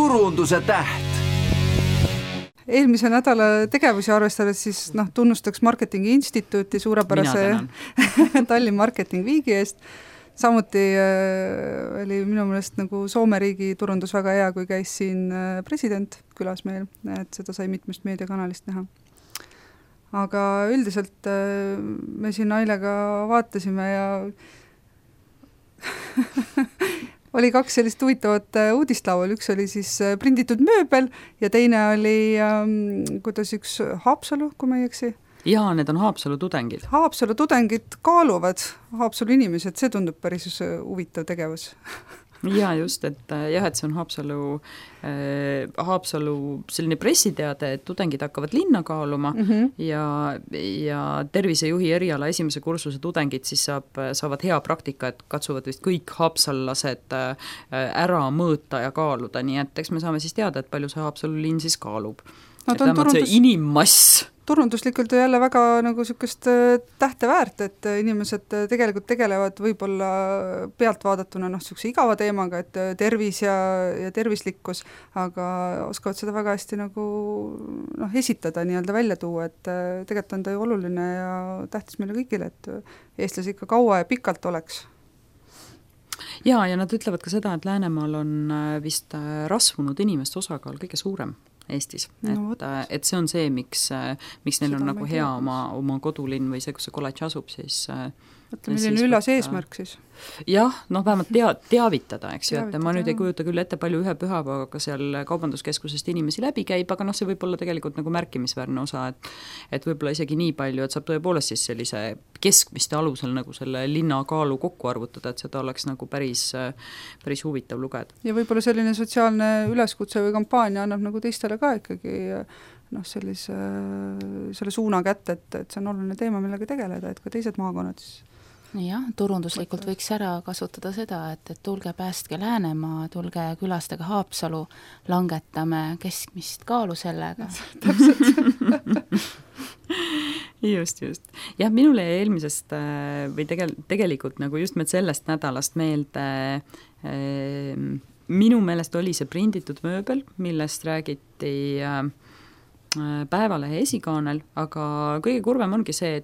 turunduse täht. Eelmise nädala tegevusi arvestades siis tunnustaks Marketingi Instituuti suurepärase Tallinn Marketing Weeki eest. Samuti oli minu meelest nagu Soome riigi turundus väga hea, kui käis siin president külas meil, et seda sai mitmest meediakanalist näha. Aga üldiselt me siin Ailega vaatasime ja oli 2 sellist huvitavat uudislaual, üks oli siis prinditud mööbel ja teine oli kuidas üks Haapsalu, kui ma ei eksi. Jaa, need on Haapsalu tudengid. Haapsalu tudengid kaaluvad Haapsalu inimesed, see tundub päris huvitav tegevus. Jaa, just, et see on Haapsalu selline pressiteade, et tudengid hakkavad linna kaaluma ja tervisejuhi eriala esimese kursuse tudengid siis saavad hea praktika, et katsuvad vist kõik haapsallased ära mõõta ja kaaluda, nii et eks me saame siis teada, et palju see Haapsalu linn siis kaalub. See inimmass. Turunduslikult on jälle väga nagu sükest tähte väärt, et inimesed tegelikult tegelevad võib-olla pealt vaadatuna sükse igava teemaga, et tervis ja tervislikkus, aga oskavad seda väga hästi nagu esitada, nii-öelda välja tuua, et tegelikult on ta ju oluline ja tähtis meile kõigile, et eestlasi ikka kaua ja pikalt oleks. Ja nad ütlevad ka seda, et Läänemaal on vist rasvunud inimeste osakaal kõige suurem Eestis, et see on see, miks neil on nagu hea oma kodulinn või see, kus see kolledž asub, siis milline ülas eesmärk siis? Jah, vähemalt teavitada, eks ju, et ma nüüd ei kujuta küll ette palju ühe pühapäevaga seal kaubanduskeskusest inimesi läbi käib, aga see võib olla tegelikult nagu märkimisväärne osa, et võib-olla isegi nii palju, et saab tõepoolest siis sellise keskmiste alusel nagu selle linna kaalu kokku arvutada, et seda oleks nagu päris huvitav lugeda. Ja võib-olla selline sotsiaalne üleskutse või kampaania annab nagu teistele ka ikkagi selle suuna kätte, et see on oluline teema, millega tegeleda, et ka teised maakonnad siis jah, turunduslikult võiks ära kasutada seda, et tulge päästke Läänemaa, tulge külastage Haapsalu, langetame keskmist kaalu sellega. Just. Jah, minule eelmisest või tegelikult nagu just sellest nädalast meelde minu meelest oli see prinditud mööbel, millest räägiti Päevalehe esikaanel, aga kõige kurvem ongi see,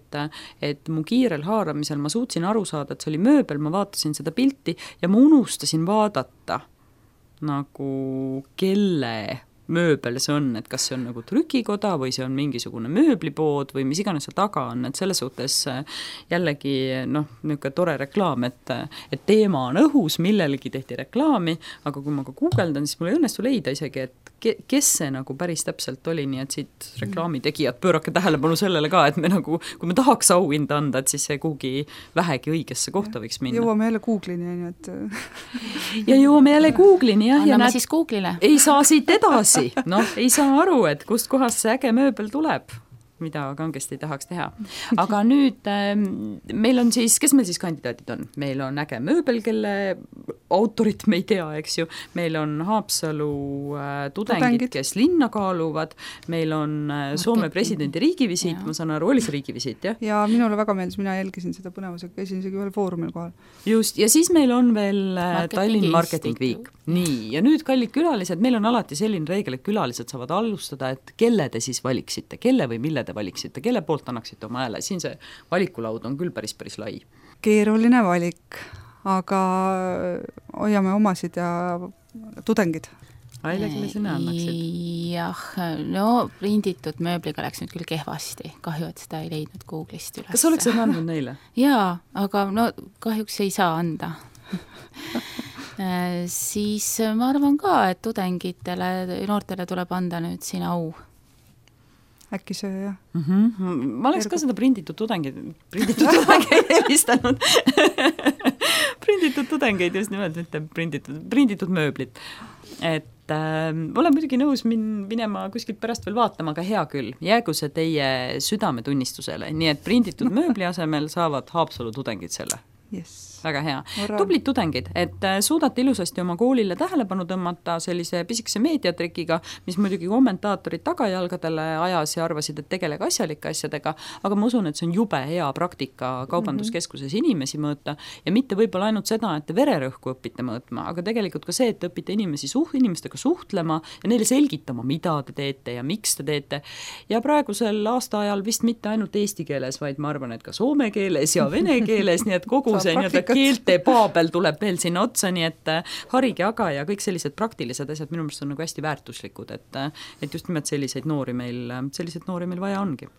et mu kiirel haaramisel ma suutsin aru saada, et see oli mööbel, ma vaatasin seda pilti ja ma unustasin vaadata nagu kelle mööbel see on, et kas see on nagu trükikoda või see on mingisugune mööblipood või mis iganes seal taga on, et selles suhtes jällegi niisugune tore reklaam, et teema on õhus, millelegi tehti reklaami, aga kui ma ka guugeldan, siis mul ei õnnestu leida isegi, et kes see nagu päris täpselt oli, nii et siit reklaamitegijad pöörake tähelepanu sellele ka, et me nagu, kui me tahaks auhinda anda, et siis see kuhugi vähegi õigesse kohta võiks minna. Jõuame jälle Google'ini, nii et ja jõuame jälle Google'ini, jah. Anname siis Google'ile. Ei saa siit edasi, ei saa aru, et kust kohast see äge mööbel tuleb, mida kangesti tahaks teha. Aga nüüd meil on siis, kes meil siis kandidaadid on? Meil on äge mööbel, kelle autorit me ei tea, eks ju. Meil on Haapsalu tudengid, kes linna kaaluvad. Meil on Soome presidendi riigivisiit, ma saan aru, oli see riigivisiit, jah? Ja minule väga meeldis, mina jälgisin seda põnevusega, käisin isegi ühel foorumil kohal. Just, ja siis meil on veel Tallinn Marketing Week. Nii, ja nüüd kallid külalised, meil on alati selline reegel, et külalised saavad alustada, et kelle te siis valiksite, kelle või mille te valiksite, kelle poolt annaksite oma hääle. Siin see valikulaud on küll päris lai. Keeruline valik, aga hoiame omasid ja tudengid. Aile, kelle sina annaksid? Jah, prinditud mööbliga läks nüüd küll kehvasti. Kahju, et seda ei leidnud Google'ist üles. Kas oleks seda andnud neile? Jaa, aga kahjuks ei saa anda. Siis ma arvan ka, et tudengitele, noortele tuleb anda nüüd siin au. Äkki see, jah. Ma oleks ka seda prinditud tudengeid helistanud. Prinditud tudengeid just nimelt, mitte prinditud mööblit. Et olen muidugi nõus minema kuskilt pärast veel vaatama, aga hea küll. Jäägu see teie südametunnistusele, nii et prinditud mööbli asemel saavad Haapsalu tudengid selle. Yes. väga hea. Tublid tudengid, et suudate ilusasti oma koolile tähelepanu tõmmata sellise pisikese meediatrikiga, mis muidugi kommentaatorid tagajalgadele ajas ja arvasid, et tegelege asjalike asjadega, aga ma usun, et see on jube hea praktika kaubanduskeskuses inimesi mõõta ja mitte võib-olla ainult seda, et te vererõhku õpite mõõtma, aga tegelikult ka see, et õpite inimestega suhtlema ja neile selgitama, mida te teete ja miks te teete. Ja praegusel aastaajal vist mitte ainult eesti keeles, vaid ma arvan, et ka soome keeles ja vene keeles, nii et kogu see keelte paabel tuleb veel sinna otsa, nii et harige aga ja kõik sellised praktilised asjad minu meelest on nagu hästi väärtuslikud, et just nimelt selliseid noori meil vaja ongi.